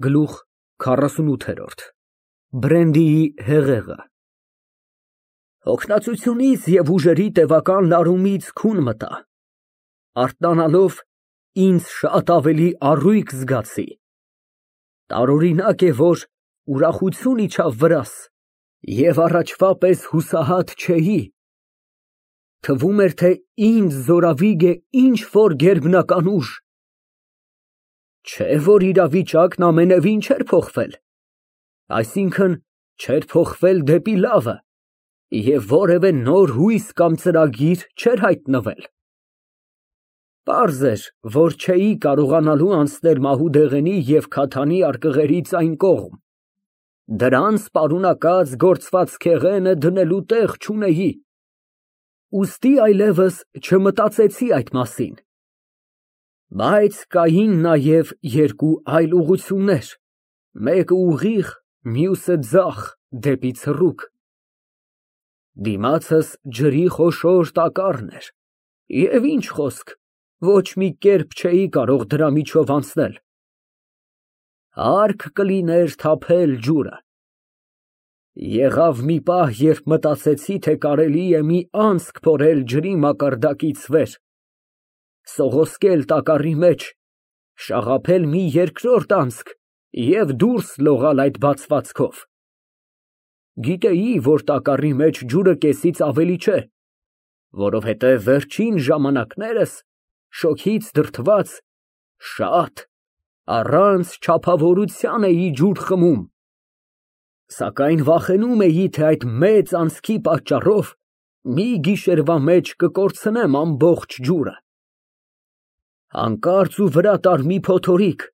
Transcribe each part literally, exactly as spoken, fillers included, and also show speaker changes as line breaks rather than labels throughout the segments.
Գլուխ քառասունութ Բրենդիի հեղեղը Հոգնածությունից և ուժերի տևական լարումից քուն մտա, արթնանալով ինձ շատ ավելի առույգ զգացի, տարօրինակ է, որ ուրախություն իջավ վրաս և առաջվա պես հուսահատ չէի, թվում էր, թե ինձ զորավիգ է ինչ֊որ գերբնական ուժ, չէ որ իրավիճակն ամենևին չէր փոխվել, այսինքն՝ չէր փոխվել դեպի լավը և որևէ նոր հույս կամ ծրագիր չէր հայտնվել։ Պարզ էր, որ չէի կարողանալու անցնել մահուդեղենի և քաթանի արկղերից այն կողմ, դրանց պարունակած գործվածքեղենը դնելու տեղ չունեի, ուստի այլևս չմտածեցի այդ մասին, բայց կային նաև երկու այլ ուղղություններ, մեկը ուղիղ, մյուսը ձախ դեպի ցռուկ, դիմացս ջրի խոշոր տակառն էր և ինչ խոսք, ոչ մի կերպ չէի կարող դրա միջով անցնել, հարկ կլիներ թափել ջուրը։ Եղավ մի պահ, երբ մտածեցի, թե կարելի է մի անցք փորել ջրի մակարդակից վեր, սողոսկել տակառի մեջ, շաղափել մի երկրորդ անցք և դուրս լողալ այդ բացվածքով։ Գիտեի, որ տակառի մեջ ջուրը կեսից ավելի չէ, որովհետև վերջին ժամանակներս շոգից դրդված, շատ, առանց չափավորության էի ջուր խմում, սակայն վախենում էի, թե այդ մեծ անցքի պատճառով մի գիշերվա մեջ կկորցնեմ ամբողջ ջուրը։ Հանկարծ ու վրա տարր մի փոթորիկ,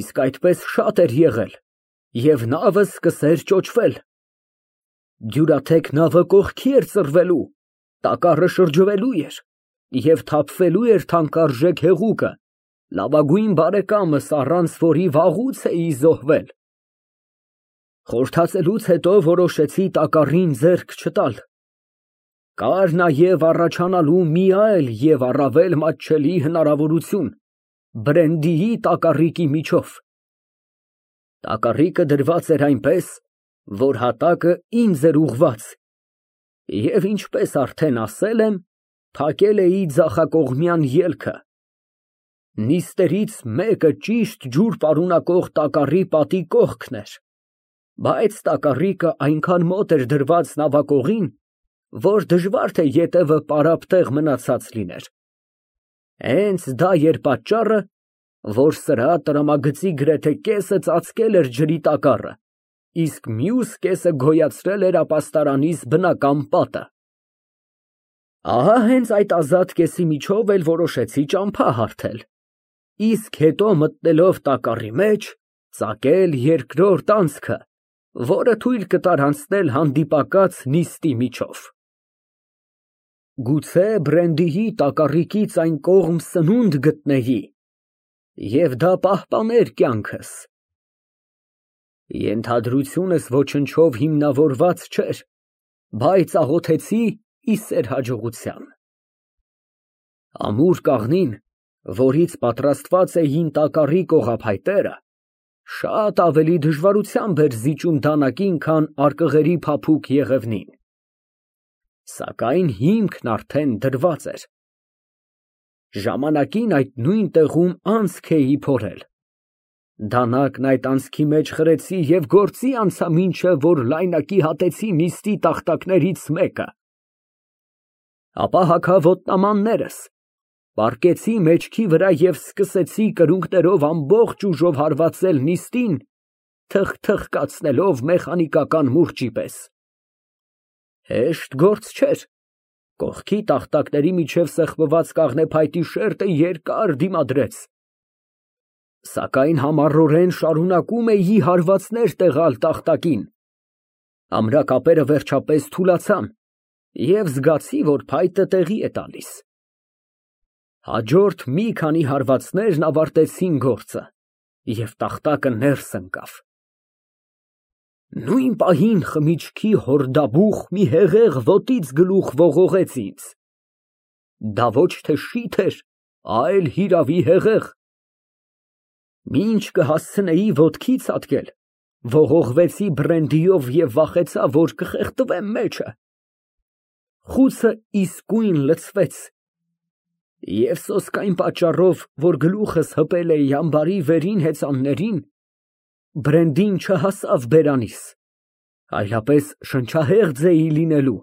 իսկ այդպես շատ էր եղել, և նավը սկսեց ճոճվել, դյուրաթեք նավը կողքի էր ծռվելու, տակառը շրջվելու էր և թափվելու էր թանկարժեք հեղուկը, լավագույն բարեկամս, առանց որի վաղուց էի զոհվել։ Խորհրդածելուց հետո որոշեցի տակառին ձեռք չտալ, կար նաև առաջանալու մի այլ և առավել մատչելի հնարավորություն Բրենդիի տակառիկի միջով։ Տակառիկը դրված էր այնպես, որ հատակը ինձ էր ուղղված, և ինչպես արդեն ասել եմ, փակել էի ձախակողմյան ելքը, նիստերից մեկը ճիշտ ջուր պարունակող տակառի պատի կողքն էր, բայց տակառիկը այնքան մոտ էր դրված նավակողին, որ դժվար թե ետևը պարապ տեղ մնացած լիներ։ Հենց դա էր պատճառը, որ սրա տրամագծի գրեթե կեսը ծածկել էր ջրի տակառը, իսկ մյուս կեսը գոյացրել էր ապաստարանիս բնական պատը։ Ահա հենց այդ ազատ կեսի միջով էլ որոշեցի ճամփա հարթել, իսկ հետո մտնելով տակառի մեջ, ծակել երկրորդ անցքը, որը թույլ կտար անցնել հանդիպակաց նիստի միջով։ Գուցե Բրենդիի տակառիկից այն կողմ սնունդ գտնեի, և դա պահպաներ կյանքս։ Ենթադրությունս ոչնչով հիմնավորված չէր, բայց աղոթեցի ի սեր հաջողության։ Ամուր կաղնին, որից պատրաստված էին տակառի կողափայտերը, շատ ավելի դժվարությամբ էր զիջում դանակին, քան արկղերի փափուկ եղևնին, սակայն հիմքն արդեն դրված էր։ Ժամանակին այդ նույն տեղում անցք էի փորել, դանակն այդ անցքի մեջ խրեցի և գործի անցա, մինչև որ լայնակի հատեցի նիստի տախտակներից մեկը, ապա հագա ոտնամաններս, պառկեցի մեջքի վրա և սկսեցի կրունկներով ամբողջ ուժով հարվածել նիստին, թխթխկացնելով մեխանիկական մուրճի պես։ Հեշտ գործ չէր, կողքի տախտակների միջև սեղմված կաղնեփայտի շերտը երկար դիմադրեց, սակայն համառորեն շարունակում էի հարվածներ տեղալ տախտակին, ամրակապերը վերջապես թուլացան և զգացի, որ փայտը տեղի է տալիս։ Հաջորդ մի քանի հարվածներն ավարտեցին գործը, և տախտակը ներս ընկավ։ Նույն պահին խմիչքի հորդաբուխ մի հեղեղ ոտից գլուխ ողողեց ինձ։ Դա ոչ թե շիթ էր, այլ հիրավի հեղեղ։ Մինչ կհասցնեի ոտքի ցատկել, ողողվեցի բրենդիով և վախեցա, որ կխեղդվեմ մեջը։ Խուցը իսկույն լցվեց, և սոսկայն պատճառով, որ գլուխս հպել էի ամբարի վերին հեծաններին, բրենդին չհասավ բերանիս, այլապես շնչահեղձ էի լինելու։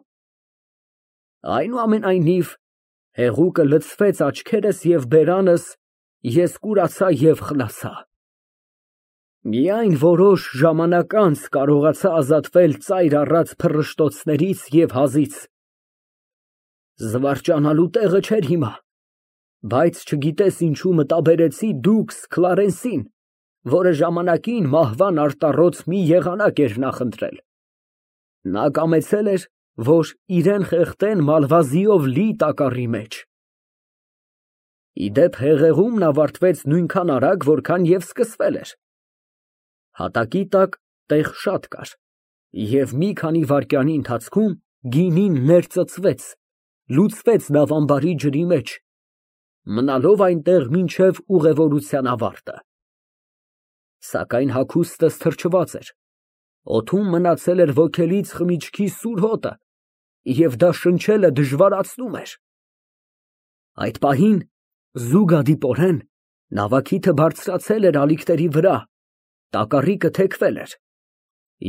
Այնուամենայնիվ, հեղուկը լցվեց աչքերս և բերանս, ես կուրացա և խլացա։ Միայն որոշ ժամանակ անց կարողացա ազատվել ծայր առած փռշտոցներից և հազից։ Զվարճանալու տեղը չէր հիմա, բայց չգիտես ինչու մտաբերեցի դուքս Քլարենսին, որը ժամանակին մահվան արտառոց մի եղանակ էր նախընտրել։ Նա կամեցել էր, որ իրան խեղդեն մալվազիով լի տակառի մեջ։ Ի դեպ, հեղեղումն ավարտվեց նույնքան արագ, որքան և սկսվել էր։ Հատակի տակ տեղ շատ կար, և մի քանի վայրկյանի ընթացքում գինին ներծծվեց, լուծվեց նավամբարի ջրի մեջ, մնալով այնտեղ մինչև ուղևորության ավարտը։ Սակայն հագուստս թրջված էր, օդում մնացել էր ոգելից խմիչքի սուր հոտը, և դա շնչելը դժվարացնում էր։ Այդ պահին, զուգադիպորեն, նավակիթը բարձրացել էր ալիքների վրա, տակառիկը թեքվել էր,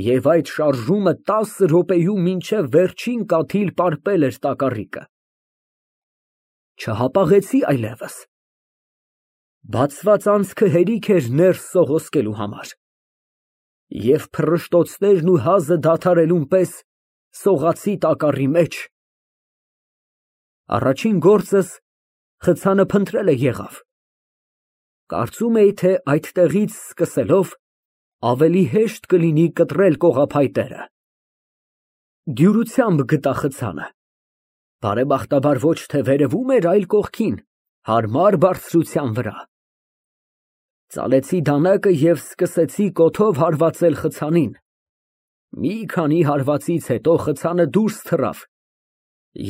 և այդ շարժումը տասը րոպեում մինչև վերջին կաթիլ պարպել էր տակառիկը։ Չհապաղեցի այլևս։ Բացված անցքը հերիք էր ներս սողոսկելու համար, և փռշտոցներն ու հազը դադարելուն պես սողացի տակառի մեջ։ Առաջին գործս խցանը փնտրելը եղավ։ Կարծում էի, թե այդտեղից սկսելով ավելի հեշտ կլինի կտրել կողափայտերը։ Դյուրությամբ գտա խցանը, բարեբախտաբար ոչ թե վերևում էր, այլ կողքին, հարմար բարձրության վրա։ Ծալեցի դանակը և սկսեցի կոթով հարվածել խցանին։ Մի քանի հարվածից հետո խցանը դուրս թռավ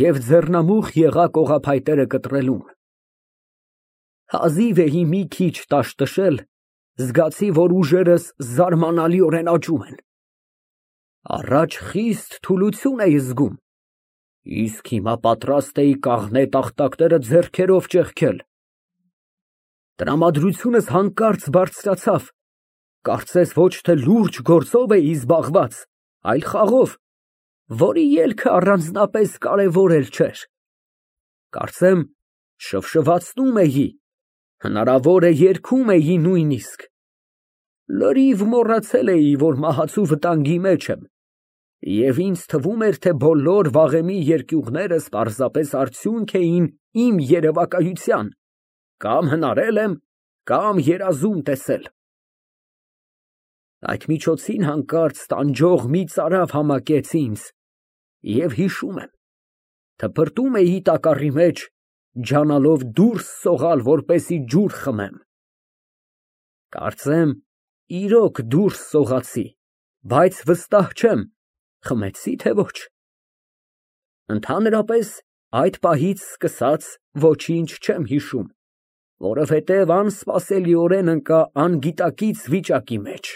և ձեռնամուխ եղա կողափայտերը կտրելուն։ Հազիվ էի մի քիչ տաշտշել, զգացի, որ ուժերս զարմանալիորեն աճում են։ Առաջ խիստ թուլություն էի զգում, իսկ հիմա պատրաստ էի կաղնե տախտակները ձեռքերով ճեղքել։ Տրամադրությունս հանկարծ բարձրացավ, կարծես ոչ թե լուրջ գործով էի զբաղված, այլ խաղով, որի ելքը առանձնապես կարևոր էլ չէր։ Կարծեմ շվշվացնում էի, հնարավոր է երգում էի նույնիսկ։ Լրիվ մոռացել էի, որ մահացու վտանգի մեջ եմ, և ինձ թվում էր, թե բոլոր վաղեմի երկյուղներս պարզապես արդյունք էին իմ երևակայության, կամ հնարել եմ, կամ երազում տեսել։ Այդ միջոցին հանկարծ տանջող մի ծարավ համակեց ինձ, և հիշում եմ, թփրտում էի տակառի մեջ, ջանալով դուրս սողալ, որպեսզի ջուր խմեմ։ Կարծեմ իրոք դուրս սողացի, բայց վստահ չեմ՝ խմեցի, թե ոչ։ Ընդհանրապես, այդ պահից սկսած ոչինչ չեմ հիշում, որովհետև անսպասելիորեն ընկա անգիտակից վիճակի մեջ։